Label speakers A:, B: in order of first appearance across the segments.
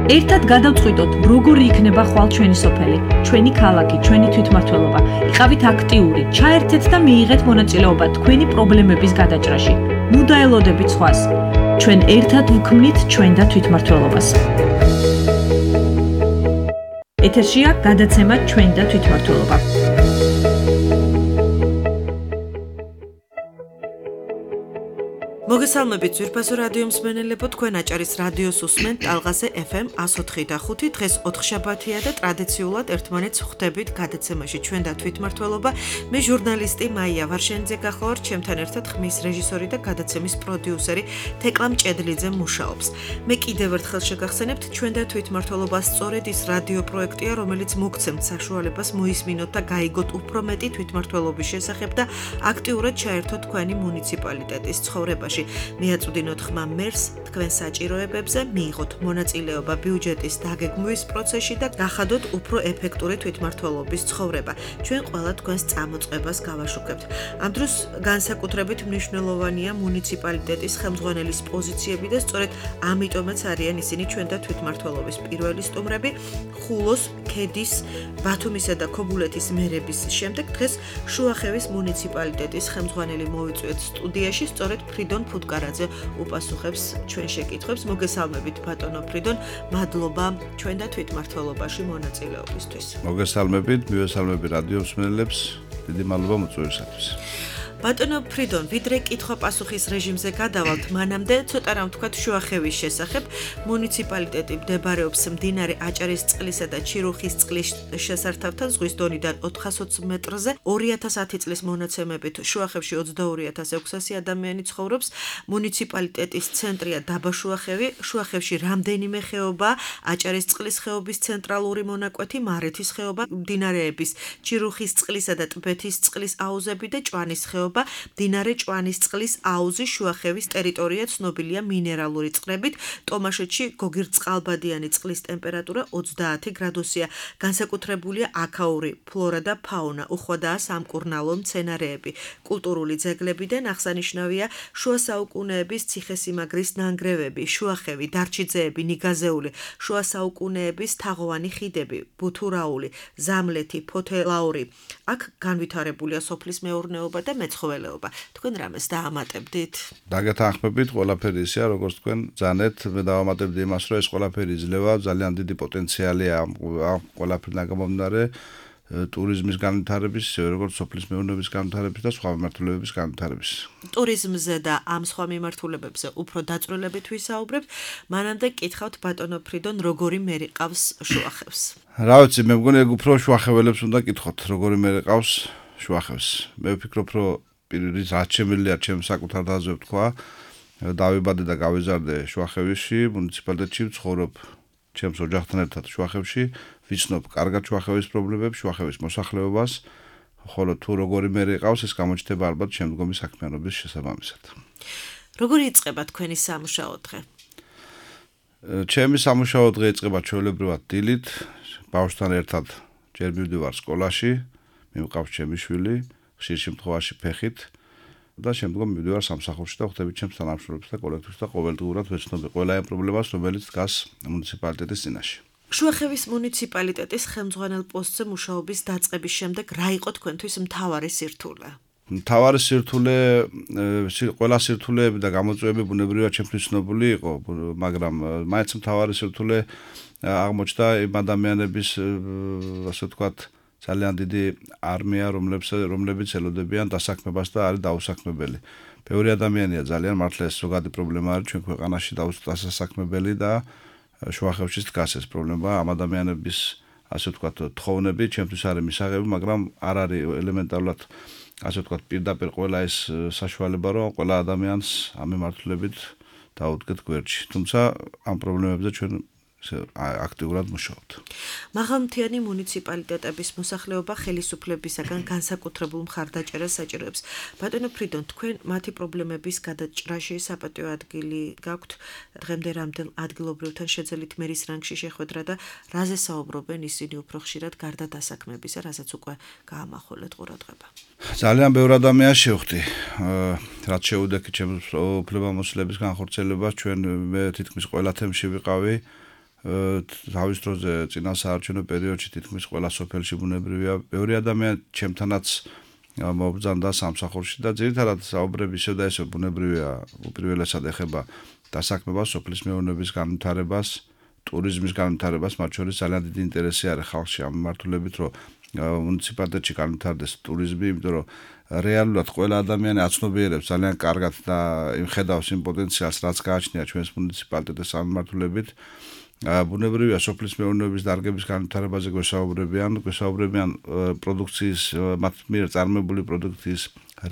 A: ერთად გადავწყვიტოთ, როგორი იქნება ხვალ ჩვენი სოფელი, ჩვენი ქალაქი, ჩვენი თვითმმართველობა. იყავით აქტიური, ჩაერთეთ და მიიღეთ მონაწილეობა თქვენი პრობლემების გადაჭრაში. ნუ დაელოდებით სხვას. ჩვენ ერთად ვქმნით ჩვენ და თვითმმართველობას. ეთერშია გადაცემა ჩვენ და თვითმმართველობა. მოგესალმებით ძვირფასო რადიო მსმენელებო, თქვენ აჭარის რადიოს უსმენთ ტალღაზე FM 104.5. დღეს ოთხშაბათია და ტრადიციულად ერთმანეთს ხვდებით გადაცემაში ჩვენ და თვითმმართველობა. მე ჟურნალისტი მაია ვარშენიძე გახლავართ, ჩემთან ერთად ხმის რეჟისორი და გადაცემის პროდიუსერი თეკლა მჭედლიძე მუშაობს. მე კიდევ ერთხელ შეგახსენებთ, ჩვენ და თვითმმართველობა სწორედ ის რადიო პროექტია, რომელიც მოგცემთ საშუალებას მოისმინოთ და გაიგოთ უფრო მეტი თვითმმართველობის შესახებ და აქტიურად ჩაერთოთ თქვენი მუნიციპალიტეტის ცხოვრებაში. მიაწვდინოთ ხმა მერს თქვენ საჭიროებებზე, მიიღოთ მონაწილეობა ბიუჯეტის დაგეგმვის პროცესში და გახადოთ უფრო ეფექტური თვითმმართველობის ცხოვრება. ჩვენ ყველა თქვენს წამოწყებას გავაშუქებთ. ამ დროს განსაკუთრებით მნიშვნელოვანია მუნიციპალიტეტის ხელმძღვანელის პოზიციები და სწორედ ამიტომაც არიან ისინი ჩვენ და თვითმმართველობის პირველი სტუმრები. ხულოს, ქედის, ბათუმისა და ქობულეთის მერების შემდეგ დღეს შუახევის მუნიციპალიტეტის ხელმძღვანელი მოვიწვიეთ სტუდიაში, სწორედ ფრიდონ ფუტკარაძე უპასუხებს ჩვენ შეკითხვებს. მოგესალმებით ბატონო ფრიდონ, მადლობა ჩვენ და თვითმმართველობაში მონაწილეობისთვის.
B: მოგესალმებით, მივესალმები რადიო მსმენელებს, დიდი მადლობა მოწვევისათვის.
A: ბატონო ფრიდონ, ვიდრე კითხვა-პასუხის რეჟიმზე გადავალთ, მანამდე ცოტა რამ ვთქვათ შუახევის შესახებ. მუნიციპალიტეტი მდებარეობს მდინარე აჭარისწყლისა და ჩირუხისწყლის შესართავთან ზღვის დონიდან 420 მეტრზე. 2010 წლის მონაცემებით შუახევში 22,600 ადამიანი ცხოვრობს. მუნიციპალიტეტის ცენტრია დაბა შუახევი. შუახევში რამდენიმე ხეობა, აჭარისწყლის ხეობის ცენტრალური მონაკვეთი, მარეთის ხეობა, მდინარეების ჩირუხისწყლისა და ტბეთისწყლის აუზები და ჭვანის ხეობა. მდინარე ჭვანისწყლის აუზი შუახევის ტერიტორია ცნობილია მინერალური წყლებით. ტომაშეთში გოგირდწყალბადიანი წყლის ტემპერატურა 30 გრადუსია. განსაკუთრებულია აქაური ფლორა და ფაუნა, უხვადაა სამკურნალო მცენარეები. კულტურული ძეგლებიდან აღსანიშნავია შუა საუკუნეების ციხესიმაგრის ნანგრევები, შუახევი, დარჩიძეები, ნიგაზეული, შუა საუკუნეების თაღოვანი ხიდები, ბუთურაული, ზამლეთი, ფოთელაური. აქ განვითარებულია სოფლის მეურნეობა და მეცხოველეობა. თქვენ რამეს დაამატებდით?
B: დაგეთანხმებით, ყველაფერი ისეა, როგორც თქვენ ძანეთ, მე დავამატებდი იმას, რომ ეს ყველაფერი იძლევა, ძალიან დიდი პოტენციალია ამ ყველაფერიდან გამომდინარე ტურიზმის განვითარების, როგორც სოფლის მეურნეობის განვითარების და სხვა მიმართულებების განვითარების.
A: ტურიზმზე და ამ სხვა მიმართულებებზე უფრო დაწვრილებით ვისაუბრებთ. მანამდე კითხავთ ბატონო ფრიდონ, როგორი მერი ყავს შუახევს?
B: რა ვიცი, მე მგონი ეგ უფრო შუახეველებს უნდა კითხოთ, როგორი მერი ყავს შუახევს. მე ვფიქრობ, რომ პირის რაც შემიძლია ჩემ საკუთარ დაზე ვთქვა, დავიბადე და გავიზარდე შუახევში, მუნიციპალიტეტში ვცხოვრობ ჩემს ოჯახთან ერთად შუახევში, ვიცნობ კარგად შუახევის პრობლემებს, შუახევის მოსახლეობას, ხოლო თუ როგორი მერი ყავს, ეს გამოჩნდება ალბათ შემდგომი საქმიანობის შესაბამისად.
A: როგორი იწყება თქვენი სამუშაო დღე?
B: ჩემი სამუშაო დღე იწყება ჩვეულებრივად დილით, ბავშვთან ერთად ჯერ მივდივარ სკოლაში, მივყავს ჩემი შვილი, ხშირ შემთხვევაში ფეხით და შემდგომ მივდივარ სამსახურში და ხვდები ჩემს თანამშრომლებს და კოლექტივს და ყოველდღურად ვეცნობი ყველა იმ პრობლემას, რომელიც დგას მუნიციპალიტეტის წინაშე.
A: შუახევის მუნიციპალიტეტის ხელმძღვანელ პოსტზე მუშაობის დაწყების შემდეგ რა იყო თქვენთვის მთავარი სირთულე?
B: მთავარი სირთულე, ყველა სირთულეები და გამოწვევები ბუნებრივად ჩემთვის ცნობილი იყო, მაგრამ მაინც მთავარი სირთულე აღმოჩნდა იმ ადამიანების, ასე ვთქვათ, ძალიან დიდი არმია, რომლებიც ელოდებიან დასაქმებას და არის დაუსაქმებელი. ბევრი ადამიანია ძალიან, მართლა ეს ზოგადი პრობლემა არის ჩვენ ქვეყანაში დასაქმებელი და შუახევში დგას ეს პრობლემა. ამ ადამიანების, ასე ვთქვათ, თხოვნები ჩემთვის არის მისაღები, მაგრამ არ არის ელემენტარულად, ასე ვთქვათ, პირდაპირ ყველა ეს საშუალება, რომ ყველა ადამიანს ამ მიმართულებით დაუდგეთ გვერდში. თუმცა ამ პრობლემებზე ჩვენ აქტიურად მუშაობთ.
A: მაღალმთიანი მუნიციპალიტეტების მოსახლეობა ხელისუფლებისაგან განსაკუთრებულ მხარდაჭერას საჭიროებს. ბატონო ფრიდონ, თქვენ მათი პრობლემების გადაჭრაში საპატიო ადგილი გაქვთ, დღემდე რამდენ ადგილობრივთან შეძელით მერის რანგში შეხვედრა და რაზე საუბრობენ ისინი უფრო ხშირად გარდა დასაქმებისა, რასაც უკვე გაამახვილეთ ყურადღება.
B: ძალიან ბევრი ადამიანს შევხვდი, რაც შეუდექით ჩემს უფლებამოსილების განხორციელებას, ჩვენ მე თითქმის ყველა თემში ვიყავი. თავის დროზე წინა საარჩევნო პერიოდში თითქმის ყველა სოფელში ბუნებრივია, ბევრი ადამიანი ჩემთანაც მობრძანდა სამსახურში და ძირითადად საუბრები ისევ და ისევ ბუნებრივია უპირველესად ეხება დასაქმებას, სოფლის მეურნეობის განვითარებას, ტურიზმის განვითარებას, მათ შორის ძალიან დიდი ინტერესი არის ხალხში ამ მიმართულებით, რომ მუნიციპალიტეტში განვითარდეს ტურიზმი, იმიტომ რომ რეალურად ყველა ადამიანი აცნობიერებს ძალიან კარგად და იმხედავს იმ პოტენციალს, რაც გააჩნია ჩვენს მუნიციპალიტეტის სამმართველობით. ბუნებრივია სოფლის მეურნეობის დარგების განვითარებაზე გვესაუბრებიან პროდუქციის, მათ მიერ წარმოებული პროდუქციის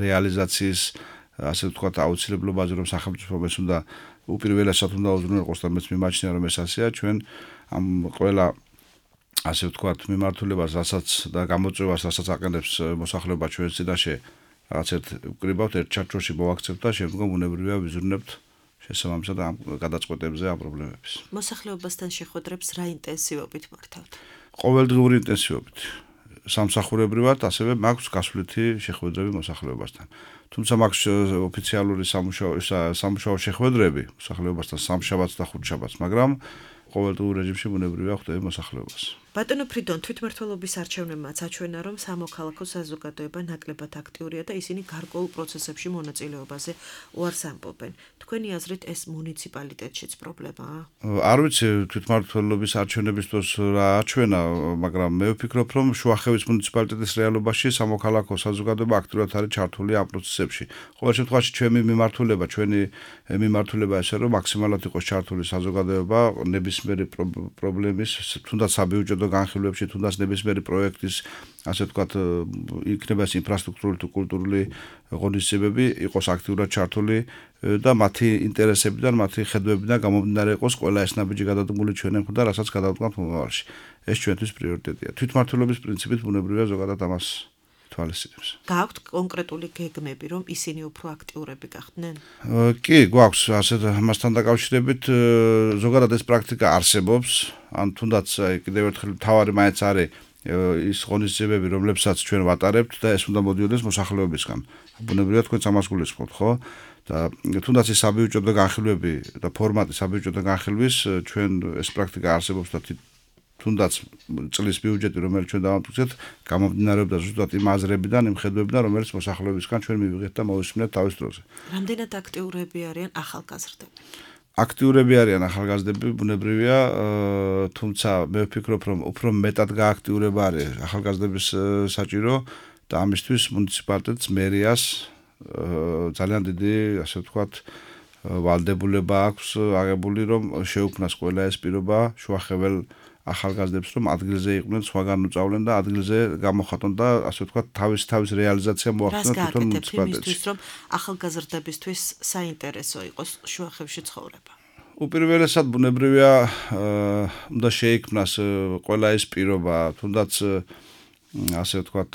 B: რეალიზაციის, ასე ვთქვათ, აუცილებლობაზე, რომ სახელმწიფო ეს უნდა უპირველესად უნდა უზრუნველყოს და მეც მიმაჩნია, რომ ეს ასეა ჩვენ ამ ყველა ასე ვთქვათ, მიმართულებას, რასაც და გამოწვევას, რასაც აყენებს მოსახლეობა ჩვენს წინაშე, რაღაც ვკრიბავთ ერთ ჩარჩოში მოვაქცევთ და შემდგომ ბუნებრივია ვიზრუნებთ შესაბამისად ამ გადაწყვეტებზე ამ პრობლემების.
A: მოსახლეობასთან შეხვედრებს რა ინტენსივობით მართავთ?
B: ყოველდღიური ინტენსივობით. სამსახურებრივად ასევე მაქვს გასვლითი შეხვედრები მოსახლეობასთან. თუმცა მაქვს ოფიციალური სამუშაო შეხვედრები მოსახლეობასთან სამშაბათს და ხუთშაბათს, მაგრამ ყოველდღიურ რეჟიმში ბუნებრივია ხვდები მოსახლეობას.
A: ბატონო ფრიდონ, თვითმმართველობის არჩევნებმაც აჩვენა, რომ სამოქალაქო საზოგადოება ნაკლებად აქტიურია და ისინი გარკვეულ პროცესებში მონაწილეობაზე უარს ამბობენ. თქვენი აზრით ეს მუნიციპალიტეტშიც პრობლემაა?
B: არ ვიცი თვითმმართველობის არჩევნების დროს რა აჩვენა, მაგრამ მე ვფიქრობ, რომ შუახევის მუნიციპალიტეტის რეალობაში სამოქალაქო საზოგადოება აქტიურად არის ჩართული ამ პროცესებში. ყოველ შემთხვევაში ჩვენი მიმართულება ესე რომ მაქსიმალურად იყოს ჩართული საზოგადოება ნებისმიერი პრობლემის, თუნდაც საბიუჯეტო განხილვებში, თუნდაც ნებისმიერი პროექტის, ასე ვთქვათ, იქნება ეს ინფრასტრუქტურული თუ კულტურული ღონისძიებები იყოს აქტიურად ჩართული და მათი ინტერესებიდან, მათი ხედვებიდან გამომდინარე იყოს ყველა ეს ნაბიჯი გადადგმული ჩვენთან და რასაც გადავდგამთ მომავალში. ეს ჩვენთვის პრიორიტეტია. თვითმმართველობის პრინციპით ბუნებრივია ზოგადად ამას თვალისწინებს.
A: გააქვთ კონკრეტული გეგმები, რომ ისინი უფრო აქტიურები გახდნენ?
B: კი, გვაქვს ასეთ ამასთან დაკავშირებით ზოგადად ეს პრაქტიკა არსებობს, ან თუნდაც კიდევ ერთხელ თავარი მაინც არის ის ღონისძიებები, რომლებსაც ჩვენ ვატარებთ და ეს უნდა მოდიოდეს მოსახლეობისგან. ბუნებრივია თქვენც ამას გულისხმობთ, ხო? და თუნდაც ის საბიუჯეტო განხილვები და ფორმატი საბიუჯეტო განხილვის ჩვენ ეს პრაქტიკა არსებობს და თუნდაც წლის ბიუჯეტი, რომელიც ჩვენ დავამტკიცეთ, გამომდინარეობდა ზუსტად იმ აზრებიდან, იმ ხედვებიდან, რომელიც მოსახლეობისგან ჩვენ მივიღეთ და მოვისმინეთ თავის დროზე.
A: რამდენად აქტიურები არიან ახალგაზრდები?
B: აქტიურები არიან ახალგაზრდები, ბუნებრივია, თუმცა მე ვფიქრობ, რომ უფრო მეტად გააქტიურება არის ახალგაზრდების საჭირო და ამისთვის მუნიციპალიტეტს მერიას ძალიან დიდი, ასე ვთქვათ, ვალდებულება აქვს აღებული, რომ შეუქმნას ყველა ეს პირობა შუახეվել ახალგაზრდებს, რომ ადგილზე იყვნენ, სხვაგან უწავლენ და ადგილზე გამოხატონ და ასე ვთქვათ, თავის რეალიზაცია მოახდინონ თვითონ მუნიციპალიტეტში.
A: რომ ახალგაზრდებისთვის საინტერესო იყოს შუახევში ცხოვრება.
B: უპირველესად ბუნებრივია უნდა შეიქმნას ყველა ეს პირობა, თუნდაც ასე ვთქვათ,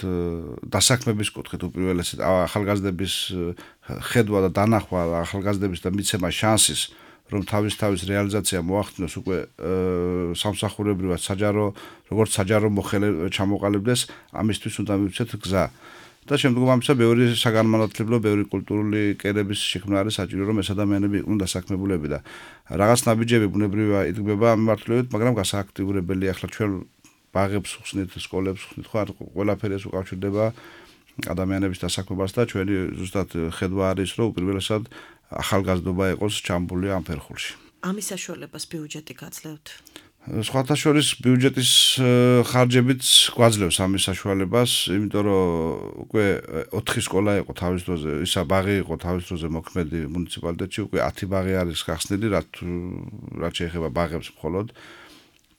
B: დასაქმების კუთხით უპირველესად ახალგაზრდების ხედვა და დანახვა ახალგაზრდების და მიცემა შანსის რომ თავის რეალიზაცია მოახდინოს უკვე სამსახურებრივად როგორც საჯარო ჩამოყალიბდეს, ამისთვის უნდა მივცეთ გზა. და შემდგომ ამისა ბევრი საგანმანათლებლო, ბევრი კულტურული კერების შექმნა არის საჭირო, რომ ეს ადამიანები იყვნენ დასაქმებულები და რაღაც ნაბიჯები ბუნებრივია იდგმება ამ მიმართულებით, მაგრამ გასააქტიურებელი ახლა ჩვენ ბაღებს ხსნით, სკოლებს ხსნით, ხო, ყველაფერი ეს უკავშირდება ადამიანების დასაქმებას და ჩვენი ზუსტად ხედვა არის, რომ უპირველესად ახალგაზრდობა იყოს ჩამბული ამ ფერხულში.
A: ამის საშუალებას ბიუჯეტი გაძლევთ?
B: სხვათა შორის ბიუჯეტის ხარჯებიც გვაძლევს ამის საშუალებას, იმიტომ რომ უკვე 4 სკოლა იყო თავის დროზე, ისა ბაღი იყო თავის დროზე მოქმედი მუნიციპალიტეტში, უკვე 10 ბაღი არის გახსნილი, რაც შეეხება ბაღებს მხოლოდ.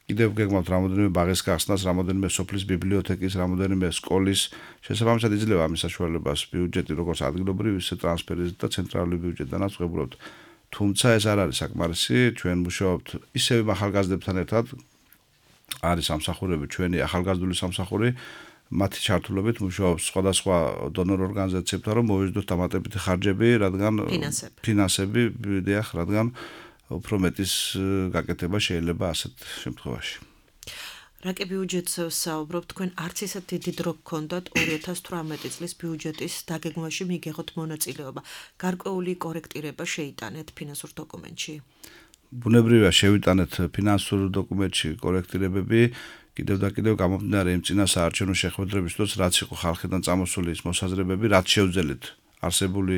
B: კიდევ გეგმავთ რამოდენიმე ბაღის გახსნას, რამოდენიმე სოფლის ბიბლიოთეკის, რამოდენიმე სკოლის, შესაბამისად იძლევა ამის საშუალებას ბიუჯეტი, როგორც ადგილობრივი, ისე ტრანსფერის და ცენტრალური ბიუჯეტიდანაც ვღებულობთ. თუმცა ეს არ არის საკმარისი, ჩვენ მუშაობთ ისევ ახალგაზრდებთან ერთად, არის სამსახურები, ჩვენი ახალგაზრდული სამსახური, მათი ჩართულობით მუშაობს სხვადასხვა დონორ ორგანიზაციებთან, რომ მოვიზრდოთ დამატებითი ხარჯები, რადგან ფინანსები, რადგან უფრო მეტის გაკეთება შეიძლება ასეთ შემთხვევაში.
A: რაკი ბიუჯეტზე საუბრობ, თქვენ არც ისე დიდი დრო გქონდათ 2018 წლის ბიუჯეტის დაგეგმვაში მიგიღოთ მონაწილეობა. გარკვეული კორექტირება შეიტანეთ ფინანსურ დოკუმენტში?
B: ბუნებრივია შევიტანეთ ფინანსურ დოკუმენტში კორექტირებები, კიდევ და კიდევ გამომდინარე იმ წინა საარჩევნო შეხვედრებისთვის, რაც იყო ხალხიდან წამოსული ის მოსაზრებები, რაც შევძელით არსებული,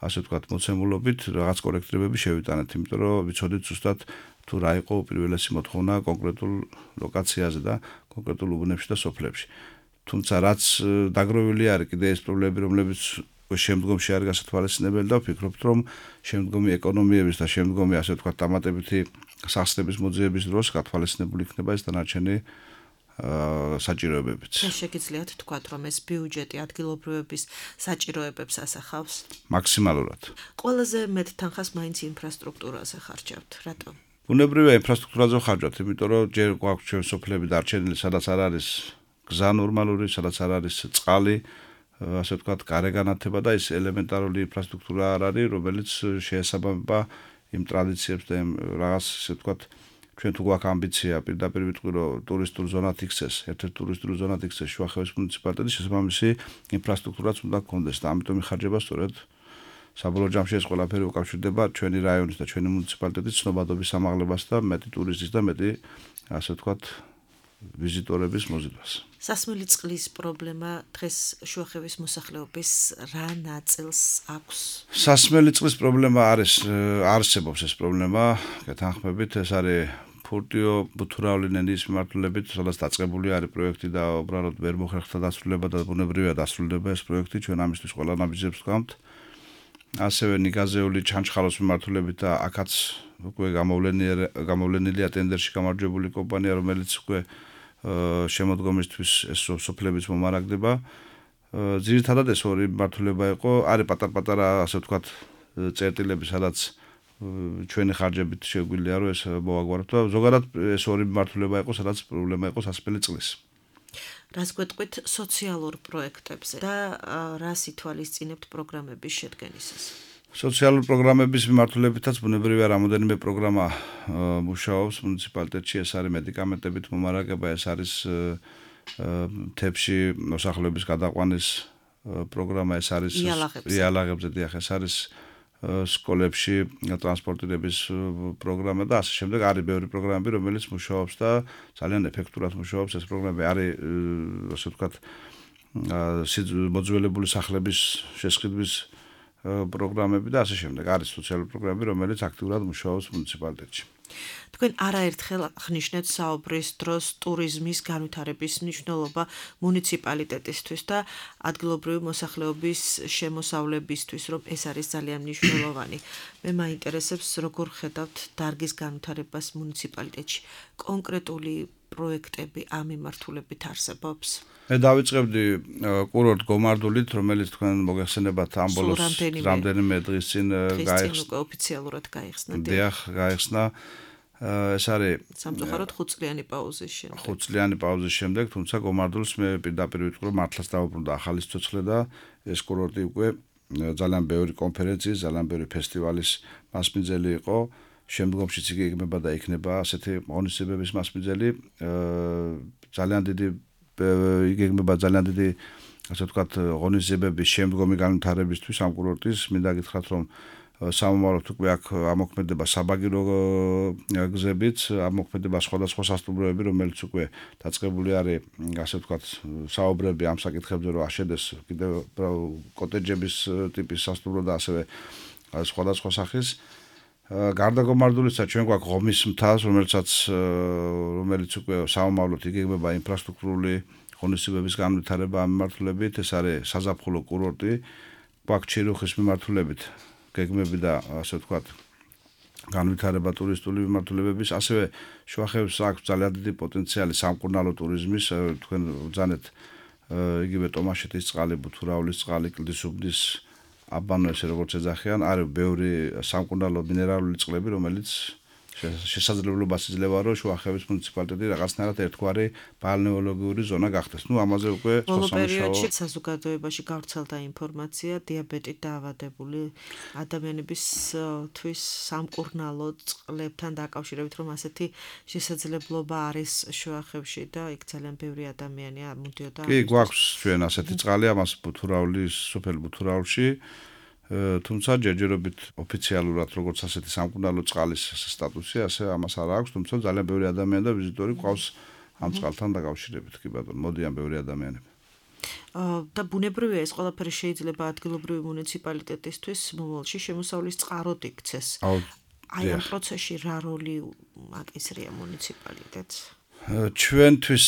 B: ასე ვთქვათ, მოცემულობით რაღაც კორექტირებები შევიტანეთ, იმიტომ რომ ვიცოდით ზუსტად თუ რა იყო უპირველესი მოთხოვნა კონკრეტულ ლოკაციაზე და კონკრეტულ უბნებში და სოფლებში. თუმცა რაც დაგროვილი არის კიდე ეს პრობლემები, რომლებიც შემდგომში არის გასათვალისწინებელი და ვფიქრობთ, რომ შემდგომი ეკონომიების და შემდგომი, ასე ვთქვათ, დამატებითი სახსნების მოძიების დროს გათვალისწინებული იქნება ეს დანარჩენი საჭიროებებიც.
A: შეგიძლიათ თქვათ, რომ ეს ბიუჯეტი ადგილობრივების საჭიროებებს ასახავს?
B: მაქსიმალურად.
A: ყველაზე მეტ თანხას მაინც ინფრასტრუქტურაზე ხარჯავთ. რატომ?
B: ბუნებრივია ინფრასტრუქტურაზე ხარჯავთ, იმიტომ რომ ჯერ გვაქვს ჩვენ სოფლები დარჩენილი, სადაც არ არის გზა ნორმალური, სადაც არ არის წყალი, ასე ვთქვათ, გარეგანათება და ის ელემენტარული ინფრასტრუქტურა არ არის, რომელიც შეესაბამება იმ ტრადიციებს და იმ რაღაც, ასე ვთქვათ, ჩვენ თუ გვაქვს ამბიცია პირდაპირ ვიტყვი, რომ ტურისტულ ზონად იქცეს, ერთ-ერთ ტურისტულ ზონად იქცეს შუახევის მუნიციპალიტეტი, შესაბამისი ინფრასტრუქტურაც უნდა გქონდეს და ამიტომ იხარჯება სწორედ საბოლოო ჯამში ეს ყველაფერი უკავშირდება ჩვენი რაიონის და ჩვენი მუნიციპალიტეტის ცნობადობის ამაღლებას და მეტი ტურისტის და მეტი, ასე ვთქვათ, ვიზიტორების მოზიდვას.
A: სასმელი წყლის პრობლემა დღეს შუახევის მოსახლეობის რა ნაწილს აქვს?
B: სასმელი წყლის პრობლემა არსებობს ეს პრობლემა, გეთანხმებით, ეს არის ფურტიო ბუთურავლი ნენდის მიმართულებით, სადაც დაწყებული არის პროექტი და უბრალოდ ვერ მოხერხდა დასრულება და ბუნებრივია დასრულდება ეს პროექტი, ჩვენ ამისთვის ყველა ნაბიჯებს ვგამთ. ასევე ნიგაზეული ჩანჩხალოს მიმართულებით და აქაც უკვე გამოვლენილია ტენდერში გამარჯვებული კომპანია, რომელიც უკვე შემოდგომისთვის ეს სოფლების მომარაგდება. ძირითადად ეს ორი მიმართულება იყო, არის პატარ-პატარა, ასე ვთქვათ, წერტილები, სადაც ჩვენი ხარჯებით შეგვიძლია რომ ეს მოვაგვაროთ და ზოგადად ეს ორი მიმართულება იყო, სადაც პრობლემა იყო სასმელი წყლის.
A: რას გვეტყვით სოციალურ პროექტებზე და რას ითვალისწინებთ პროგრამების შედგენისას?
B: სოციალურ პროგრამების მიმართულებითაც ბუნებრივია რამოდენიმე პროგრამა მუშაობს მუნიციპალიტეტში, ეს არის მედიკამენტებით მომარაგება, ეს არის მთებში მოსახლეობის გადაყვანის პროგრამა, ეს არის იალაღებზე, დიახ, ეს არის სკოლებში ტრანსპორტირების პროგრამა და ასე შემდეგ. არის ბევრი პროგრამები, რომელიც მუშაობს და ძალიან ეფექტურად მუშაობს. ეს პროგრამები არის, ასე ვთქვათ, მოძველებული სახლების შესყიდვის პროგრამები და ასე შემდეგ. არის სოციალური პროგრამები, რომელიც აქტიურად მუშაობს მუნიციპალიტეტში.
A: თქვენ არაერთხელ აღნიშნეთ საუბრის დროს ტურიზმის განვითარების მნიშვნელობა მუნიციპალიტეტისთვის და ადგილობრივი მოსახლეობის შემოსავლებისთვის, რომ ეს არის ძალიან მნიშვნელოვანი. მე მაინტერესებს, როგორ ხედავთ დარგის განვითარებას მუნიციპალიტეტში. კონკრეტული პროექტები ამ მიმართულებით არსებობს?
B: მე დავიწყებდი კურორტ გომარდულით, რომელიც თქვენ მოგეხსენებათ ამ ბოლოს რამდენიმე დღის წინ
A: გაიხსნა, ოფიციალურად გაიხსნა.
B: დიახ, გაიხსნა. ეს არის
A: სამწუხაროდ 5 წლიანი პაუზის შემდეგ.
B: 5 წლიანი პაუზის შემდეგ, თუმცა გომარდულს მე პირდაპირ ვიტყვი, რომ მართლაც დავუბრუნდა ახალი სიცოცხლე და ეს კურორტი უკვე ძალიან ბევრი კონფერენციის, ძალიან ბევრი ფესტივალის მასპინძელი იყო. შემდგომშიც იგეგმება და იქნება ასეთი ღონისძიებების მასპინძელი. ძალიან დიდი იგეგმება ძალიან დიდი, ასე ვთქვათ, ღონისძიებების შემდგომი განვითარებისთვის ამ კურორტის. მინდა გითხრათ, რომ სამომავლოდ უკვე აქ ამოქმედება საბაგირო გზებით, ამოქმედება სხვადასხვა სასტუმროები, რომელიც უკვე დაწყებული არის, ასე ვთქვათ, საუბრები ამ საკითხებზე, რომ აშენდეს კიდევ კოტეჯების ტიპის სასტუმრო და ასევე სხვადასხვა სახის. გარდა გომარდულისა ჩვენ გვაქვს ღომის მთას, რომელიც უკვე სამომავლოდ იგეგმება ინფრასტრუქტურული ღონისძიებების განვითარება ამ მიმართულებით, ეს არის საზაფხულო კურორტი, გვაქვს ჩირუხის მიმართულებით გეგმები და ასე ვთქვათ განვითარება ტურისტული მიმართულებების, ასევე შუახევს აქვს ძალიან დიდი პოტენციალი სამკურნალო ტურიზმის, თქვენ ბრძანეთ იგივე ტომაშეთის წყალი, ბუთურავლის წყალი, კლდისუბნის აბანო, ესე როგორც ეძახიან, არის ბევრი სამკურნალო მინერალური წყლები, რომელიც შესაძლებლობას იძლევა, რომ შუახევის მუნიციპალიტეტი რაღაცნაირად ერთგვარი ბალნეოლოგიური ზონა გახდეს. ამაზე უკვე
A: ბოლო პერიოდში საზოგადოებაში გავრცელდა ინფორმაცია დიაბეტით დაავადებული ადამიანებისთვის სამკურნალო წყლებთან დაკავშირებით, რომ ასეთი შესაძლებლობა არის შუახევში და იქ ძალიან ბევრი ადამიანია მოდიოდა.
B: კი, გვაქვს ჩვენ ასეთი წყალი, ამას ბუთურავლის, სოფელ ბუთურავლში. თუმცა ჯერჯერობით ოფიციალურად როგორც ასეთი სამკურნალო წყალის სტატუსი, ასე ამას არ აქვს, თუმცა ძალიან ბევრი ადამიანი და ვიზიტორი ყავს ამ წყალთან დაკავშირებით, კი ბატონო, მოდიან ბევრი ადამიანები.
A: და ბუნებრივია ეს ყველაფერი შეიძლება ადგილობრივი მუნიციპალიტეტისთვის მომავალში შემოსავლის წყაროდ იქცეს. აი ამ პროცესში რა როლი აკისრია მუნიციპალიტეტს?
B: ჩვენთვის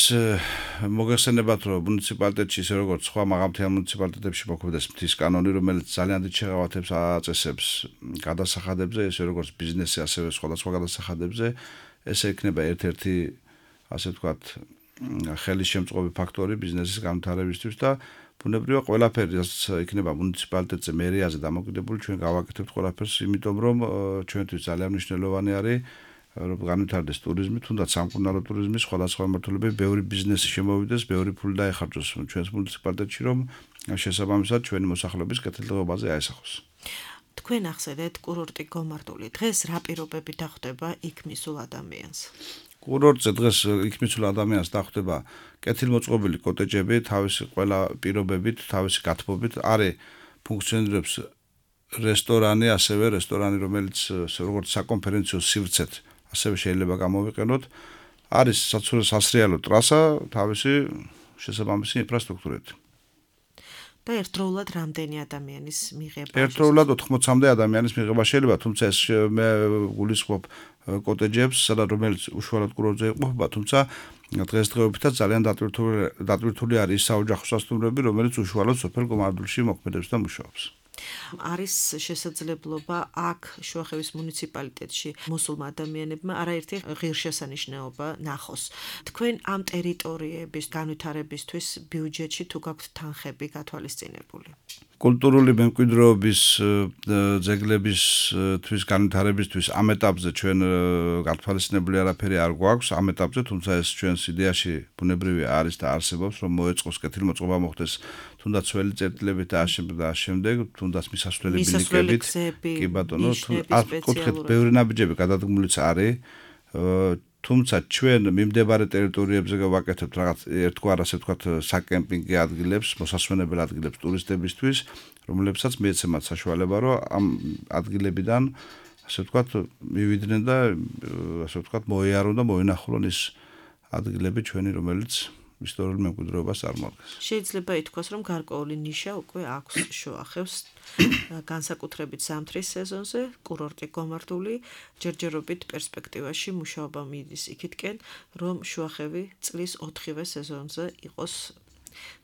B: მოგეხსენებათ, რომ მუნიციპალიტეტში ისე როგორც სხვა მაღალმთიან მუნიციპალიტეტებში მოქმედებს მთის კანონი, რომელიც ძალიან დიდ შეღავათებს აწესებს გადასახადებზე, ისე როგორც ბიზნესზე, ასევე სხვადასხვა გადასახადებზე, ესე იქნება ერთ-ერთი, ასე ვთქვათ, ხელის შემწყობი ფაქტორი ბიზნესის განვითარებისთვის და ბუნებრივია ყველაფერი, რაც იქნება მუნიციპალიტეტზე, მერიაზე დამოკიდებული, ჩვენ გავაკეთებთ ყველაფერს, იმიტომ რომ ჩვენთვის ძალიან მნიშვნელოვანი არის რომ განვითარდეს ტურიზმი, თუნდაც სამკურნალო ტურიზმი, სხვადასხვა მიმართულებები, ბევრი ბიზნესი შემოვიდეს, ბევრი ფული დაეხარჯოს ჩვენს მუნიციპალიტეტში, რომ შესაბამისად ჩვენი მოსახლეობის კეთილდღეობაზე აესახოს.
A: თქვენ ახსენეთ კურორტი გომარტული. დღეს რა პირობები დახვდება იქ მისულ ადამიანს?
B: კურორტზე დღეს იქ მისულ ადამიანს დახვდება კეთილმოწყობილი კოტეჯები, თავისი ყველა პირობებით, თავისი გათბობით, არის ფუნქციონირებს რესტორანი, ასევე რესტორანი, რომელიც როგორც საკონფერენციო სივრცეთ ასევე შეიძლება გამოვიყენოთ. არის სასრიალო ტრასა, თავისი შესაბამისი ინფრასტრუქტურით.
A: და ერთდროულად რამდენი ადამიანის მიღება?
B: ერთდროულად 80-მდე ადამიანის მიღება შეიძლება, თუმცა ეს მე გულისხმობ კოტეჯებს, სადაც რომელიც უშუალოდ კურორტზე იყოფება, თუმცა დღესდღეობითაც ძალიან დატვირთული არის ის საოჯახო სასტუმროები, რომელიც უშუალოდ სოფელ გომარდულში მოქმედებს და მუშაობს.
A: არის შესაძლებლობა აქ შუახევის მუნიციპალიტეტში მოსულმა ადამიანებმა არაერთი ღირსშესანიშნაობა ნახოს. თქვენ ამ ტერიტორიების განვითარებისთვის ბიუჯეტში თუ გაქვთ თანხები გათვალისწინებული?
B: კულტურული მემკვიდრეობის ძეგლებისთვის განვითარებისთვის ამ ეტაპზე ჩვენ გათვალისწინებული არაფერი არ გვაქვს ამ ეტაპზე, თუმცა ეს ჩვენს იდეაში ბუნებრივია არის და არსებობს, რომ მოეწყოს კეთილმოწყობა მოხდეს თუნდაც ძველი წერტილებით და ამ შემდეგ, თუნდაც მისასვლელი ბილიკებით, კი ბატონო, კუთხით ბევრი ნაბიჯები გადადგმულიც არის. თუმცა ჩვენ მიმდებარე ტერიტორიებზე გავაკეთებთ რაღაც ერთგვარ ასე ვთქვათ საკემპინგო ადგილებს, მოსასვენებელ ადგილებს ტურისტებისთვის, რომლებსაც მიეცემათ საშუალება, რომ ამ ადგილებიდან ასე ვთქვათ მივიდნენ და ასე ვთქვათ მოიარონ და მოინახულონ ის ადგილები ჩვენი, რომელიც ისტორიულ მემკვიდრეობას წარმოადგენს.
A: შეიძლება ითქვას, რომ გარკვეული ნიშა უკვე აქვს შუახევს განსაკუთრებით ზამთრის სეზონზე, კურორტი გომარტული, ჯერჯერობით პერსპექტივაში მუშაობა მიდის იქითკენ, რომ შუახევი წლის 4-ვე სეზონზე იყოს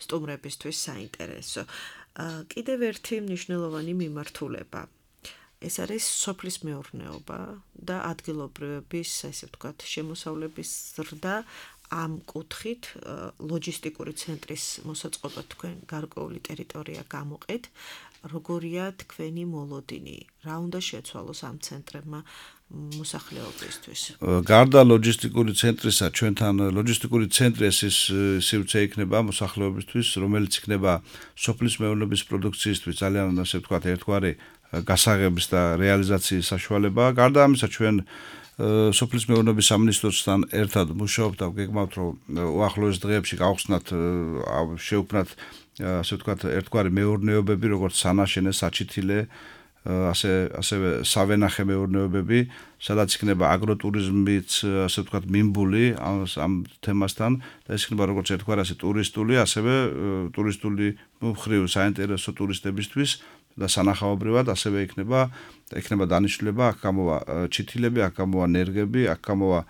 A: სტუმრებისთვის საინტერესო. კიდევ ერთი მნიშვნელოვანი მიმართულება. ეს არის სოფლის მეურნეობა და ადგილობრივების, ასე ვთქვათ, შემოსავლების ზრდა. ამ კუთხით ლოჯისტიკური ცენტრის მოსაწყობა თქვენ გარკვეული ტერიტორია გამოყეთ. როგორია თქვენი მოლოდინი? რა უნდა შეცვალოს ამ ცენტრებმა მოსახლეობისთვის?
B: გარდა ლოჯისტიკური ცენტრისა, ჩვენთან ლოჯისტიკური ცენტრი ეს სივრცე იქნება მოსახლეობისთვის, რომელიც იქნება სოფლის მეურნეობის პროდუქციისთვის ძალიან ასე ვთქვათ ერთგვარი გასაღების და რეალიზაციის საშუალება. გარდა ამისა ჩვენ სოფლის მეურნეობის სამინისტროსთან ერთად მუშაობთ და გეგმავთ, რომ უახლოეს დღეებში გავხსნათ შევქმნათ ასე ვთქვათ ერთგვარი მეურნეობები, როგორც სანაშენე, საჩითილე, ასევე სავენახე მეურნეობები, სადაც იქნება აგროტურიზმიც, ასე ვთქვათ მიმბული ამ თემასთან და ეს იქნება როგორც ერთგვარი ასე ტურისტული, ასევე ტურისტული მხრივ საინტერესო ტურისტებისთვის და სანახაობრივად ასევე იქნება დანიშნულება, აქ გამოვა ჩითილები, აქ გამოვა ნერგები, აქ გამოვა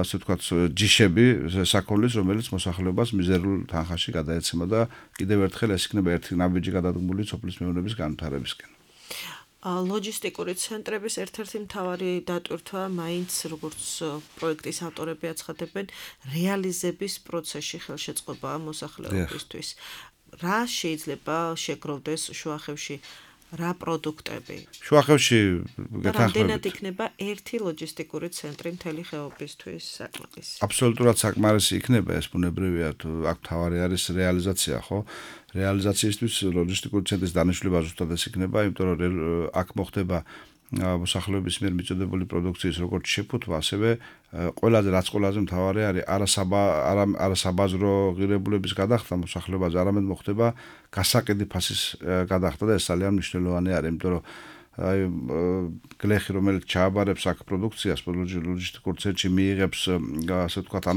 B: ასე ვთქვათ ჯიშები საქონლის, რომელიც მოსახლეობას მიზერულ თანხაში გადაეცემა და კიდევ ერთხელ ეს იქნება ერთი ნაბიჯი გადადგმული სოფლის მეურნეობის განვითარებისკენ.
A: ლოჯისტიკური ცენტრების ერთ-ერთი მთავარი დატვირთვა მაინც როგორც პროექტის ავტორები აცხადებენ, რეალიზების პროცესში ხელშეწყობაა მოსახლეობისთვის. რა შეიძლება შეგროვდეს შუახევში? რა პროდუქტები? შუახევში გეთანხმებით. იქნება ერთი ლოჯისტიკური ცენტრი მთელი ხეობისთვის საკმარისი.
B: აბსოლუტურად საკმარისი იქნება ეს ბუნებრივია, თუ აქ თავარი არის რეალიზაცია, ხო? რეალიზაციისთვის ლოჯისტიკური ცენტრის დანიშნულება ზუსტად ეს იქნება, იმიტომ რომ აქ მოხდება მოსახლეობის მიერ მიწოდებული პროდუქციის როგორც შეფუთვა, ასევე ყველაზე რაც ყველაზე მთავარი არის არასაბაზრო ღირებულების გადახდა მოსახლეობაზე, არამედ მოხდება გასაყიდი ფასის გადახდა და ეს ძალიან მნიშვნელოვანი არის, იმიტომ რომ აი გლეხი რომელიც ჩააბარებს აქ პროდუქციას ლოჯისტიკურ ცენტრში მიიღებს ასე ვთქვათ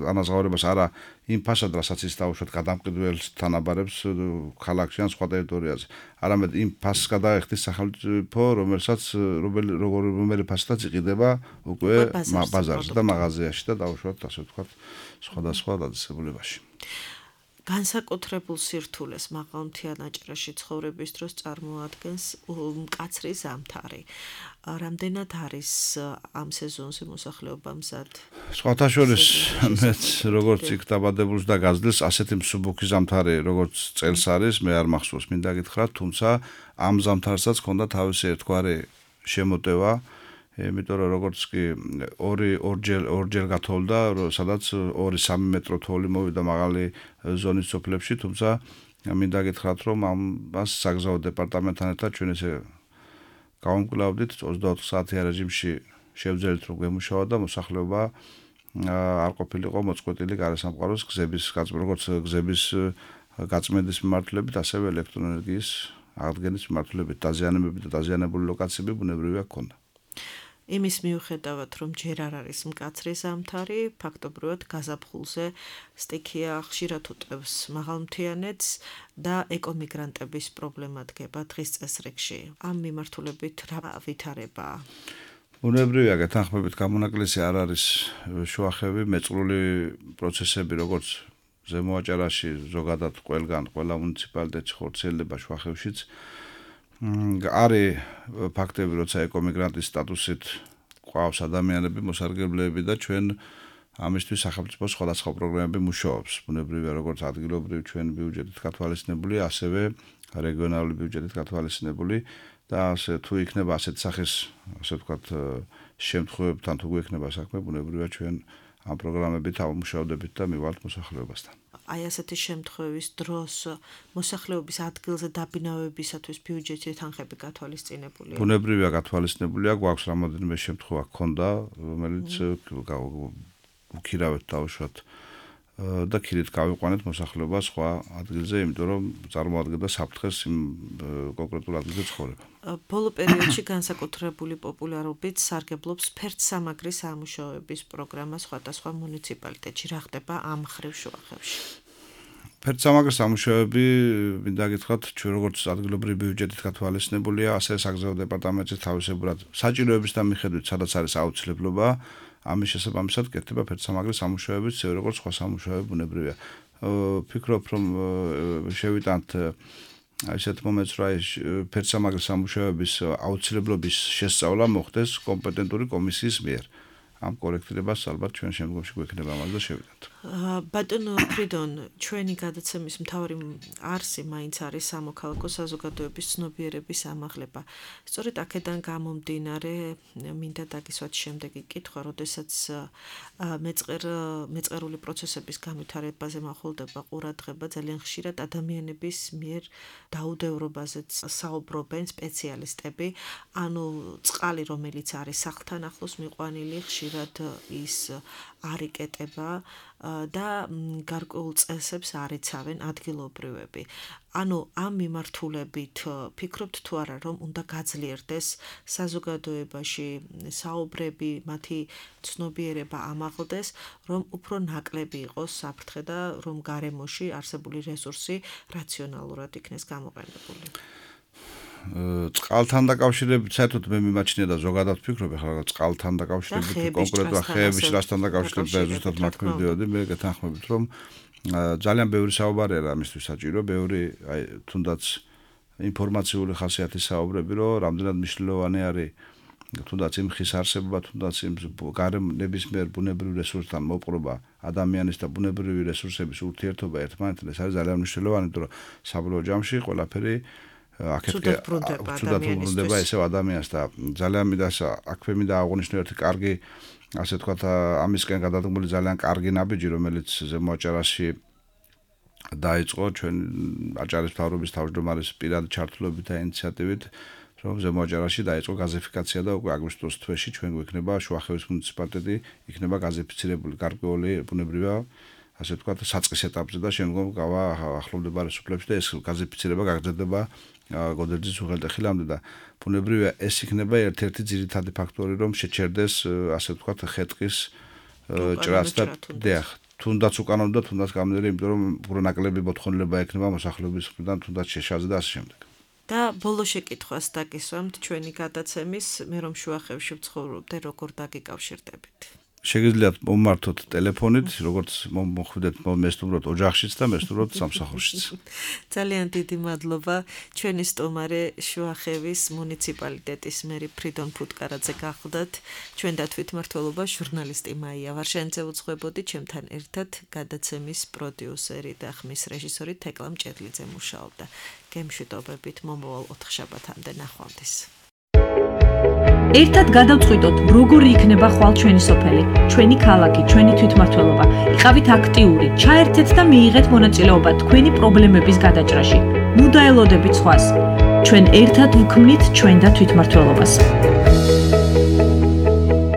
B: ანაზღაურებას არა იმ ფასად რასაც ის დაუშვათ გადამყიდველს თანაბარებს ქალაქში ან სხვა ტერიტორიაზე არამედ იმ ფასს გადაეხდის სახელმწიფო რომელი ფასადაც იყიდება უკვე ბაზარში და მაღაზიაში და დაუშვათ ასე ვთქვათ სხვადასხვა დაწესებულებაში
A: განსაკუთრებულ სირთულეს მაღალმთიან აჭარაში ცხოვრების დროს წარმოადგენს მკაცრი ზამთარი. რამდენად არის ამ სეზონზე მოსახლეობა მზად?
B: სხვათა შორის მეც როგორც იქ დაბადებულს და გაზრდილს ასეთი მსუბუქი ზამთარი როგორც წელს არის მე არ მახსოვს მინდა გითხრათ თუმცა ამ ზამთარსაც ჰქონდა თავისი ერთგვარი შემოტევა იმიტომ რომ როგორც კი ორჯერ გათოვდა სადაც 2-3 მეტრო თოვლი მოვიდა მაღალი ზონის სოფლებში თუმცა მინდა გითხრათ რომ ამას საგზაო დეპარტამენტთან ერთად ჩვენ ესე გავამკვლავდით 24 საათიან რეჟიმში შევძელით რომ გვემუშავა და მოსახლეობა არ ყოფილიყო მოწყვეტილი გარესამყაროს გზების როგორც გზების გაწმენდის მიმართულებით ასევე ელექტროენერგიის აღდგენის მიმართულებით დაზიანებები და დაზიანებული ლოკაციები ბუნებრივია ჰქონდა
A: იმის მიუხედავად რომ ჯერ არ არის მკაცრი ზამთარი ფაქტობრივად გაზაფხულზე სტიქია ხშირად უტევს მაღალმთიანეთს და ეკომიგრანტების პრობლემა დგება დღის წესრიგში ამ მიმართულებით რა ვითარებაა
B: ბუნებრივია გეთანხმებით გამონაკლისი არ არის შუახევი მეწყრული პროცესები როგორც ზემო აჭარაში ზოგადად ყველგან ყველა მუნიციპალიტეტში ხორციელდება შუახევშიც არის ფაქტები, როცა ეკომიგრანტის სტატუსით ყავს ადამიანები, მოსარგებლეები და ჩვენ ამისთვის სახელმწიფო სხვადასხვა პროგრამები მუშაობს. ბუნებრივია, როგორც ადგილობრივი ჩვენ ბიუჯეტით გათვალისწინებული, ასევე რეგიონალური ბიუჯეტით გათვალისწინებული და ასე თუ იქნება ასეთ სახის, ასე ვთქვათ, შემთხვევებთან თუ გვექნება საქმე, ბუნებრივია ჩვენ ამ პროგრამებით ამუშავდებით და მივალთ მოსახლეობასთან.
A: აი ასეთი შემთხვევის დროს მოსახლეობის ადგილზე დაბინავებისათვის ბიუჯეტი თანხები გათვალისწინებულია.
B: ბუნებრივია გათვალისწინებულია, გვაქვს რამოდენიმე შემთხვევა ჰქონდა, რომელიც უქირავეთ დავუშვათ და ქირით გავიყვანეთ მოსახლეობა სხვა ადგილზე, იმიტომ რომ წარმოადგენდა საფრთხეს იმ კონკრეტულ ადგილზე ცხოვრება.
A: ბოლო პერიოდში განსაკუთრებული პოპულარობით სარგებლობს ფერდსამაგრის სამუშაოების პროგრამა სხვადასხვა მუნიციპალიტეტში. რა ხდება ამ მხრივ შუახევში?
B: ფერდსამაგრის სამუშაოები, მინდა გითხრათ, ჩვენ როგორც ადგილობრივი ბიუჯეტით გათვალისწინებულია, ასე საგზაო დეპარტამენტში თავისებურად საჭიროების და მიხედვით, სადაც არის აუცილებლობა, ამის შესაბამისად კეთდება ფერდსამაგრის სამუშაოების წევრი როგორც სხვა სამუშაოები ბუნებრივია. ვფიქრობ, რომ შევიტანთ ასეთ მომენტს რა ფერდსამაგრის სამუშაოების აუცილებლობის შესწავლა მოხდეს კომპეტენტური კომისიის მიერ. ამ კორექტირებას ალბათ ჩვენ შემდგომში გვექნება ამაზე და შევიდეთ.
A: ბატონო ფრიდონ, ჩვენი გადაცემის მთავარი არსი მაინც არის სამოქალაქო საზოგადოების ცნობიერების ამაღლება. სწორედ აქედან გამომდინარე, მინდა დაგისვათ შემდეგი კითხვა, როდესაც მეწყერული პროცესების განვითარებაზე მახვილდება ყურადღება, ძალიან ხშირად ადამიანების მიერ დაუდევრობაზეც საუბრობენ სპეციალისტები, ანუ წყალი, რომელიც არის სახლთან ახლოს მიყვანილი, ხშირად ის არ იკეტება და გარკვეულ წესებს არ იცავენ ადგილობრივები. ანუ ამ მიმართულებით ფიქრობთ თუ არა რომ უნდა გაძლიერდეს საზოგადოებაში საუბრები, მათი ცნობიერება ამაღლდეს, რომ უფრო ნაკლები იყოს საფრთხე და რომ გარემოში არსებული რესურსი რაციონალურად იქნეს გამოყენებული.
B: წყალთან დაკავშირებით საერთოდ მე მიმაჩნია და ზოგადად ვფიქრობ ახლა წყალთან დაკავშირებით კონკრეტულად ხეების რასთან დაკავშირებით და ზუსტად მათ მივდიოდი მე გეთანხმებით რომ ძალიან ბევრი საუბარი არის ამისთვის საჭირო ბევრი აი თუნდაც ინფორმაციული ხასიათის საუბრები რომ რამდენად მნიშვნელოვანი არის თუნდაც იმ ხის არსებობა თუნდაც იმ ნებისმიერ ბუნებრივ რესურსთან მოპყრობა ადამიანის და ბუნებრივი რესურსების ურთიერთობა ერთმანეთთან ეს არის ძალიან მნიშვნელოვანი იმიტომ რომ საბოლოო ჯამში ყველაფერი
A: ცუდად
B: ბრუნდება ესევ ადამიანს და ძალიან მინდა აქვე მინდა აღვნიშნო ერთი კარგი ასე თქვა ამისკენ გადადგმული ძალიან კარგი ნაბიჯი რომელიც ზემო აჭარაში დაიწყო ჩვენ აჭარის მთავრობის თავმჯდომარის პირადი ჩართულობით და ინიციატივით რომ ზემოაჯარაში დაიწყო გაზიფიკაცია და უკვე აგვისტოს თვეში ჩვენ გვექნება შუახევის მუნიციპალიტეტი იქნება გაზიფიცირებული გარკვეული ბუნებრივია ასე ვთქვათ საწყის ეტაპზე და შემდგომ გავა ახლომდებარე სოფლებში და ეს გაზიფიცირება გაგრძელდება გოდერძის უღელტეხილამდე და ბუნებრივია ეს იქნება ერთ-ერთი ძირითადი ფაქტორი რომ შეჩერდეს ასე ვთქვათ ხეტყის ჭრაც და დიახ თუნდაც უკანონო და თუნდაც გამნერე იმიტომ რომ უბრალოდ მოთხოვნილება ექნება მოსახლეობის მხრიდან თუნდაც შეშაზე და ასე შემდეგ
A: და ბოლო შეკითხვას დაგისვამთ ჩვენი გადაცემის მე რომ შუახევში ვცხოვრობდე როგორ დაგიკავშირდებით
B: შეგიძლიათ მომმართოთ ტელეფონით როგორც მოხვიდეთ მესტუმროთ ოჯახშიც და მესტუმროთ სამსახურშიც
A: ძალიან დიდი მადლობა ჩვენი სტუმარი შუახევის მუნიციპალიტეტის მერი ფრიდონ ფუტკარაძე გახლდათ ჩვენ და თვითმმართველობა ჟურნალისტი მაია ვარშენიძე უძღვებოდი ჩემთან ერთად გადაცემის პროდიუსერი და ხმის რეჟისორი თეკლა მჭედლიძე მუშაობდა გემშვიდობებით მომავალ 4 შაბათამდე ნახვამდის
C: ერთად გადავწყვიტოთ, როგორი იქნება ხვალ ჩვენი სოფელი, ჩვენი ქალაქი, ჩვენი თვითმმართველობა. იყავით აქტიური, ჩაერთეთ და მიიღეთ მონაწილეობა თქვენი პრობლემების გადაჭრაში. ნუ დაელოდებით სხვას. ჩვენ ერთად ვქმნით ჩვენ და თვითმმართველობას.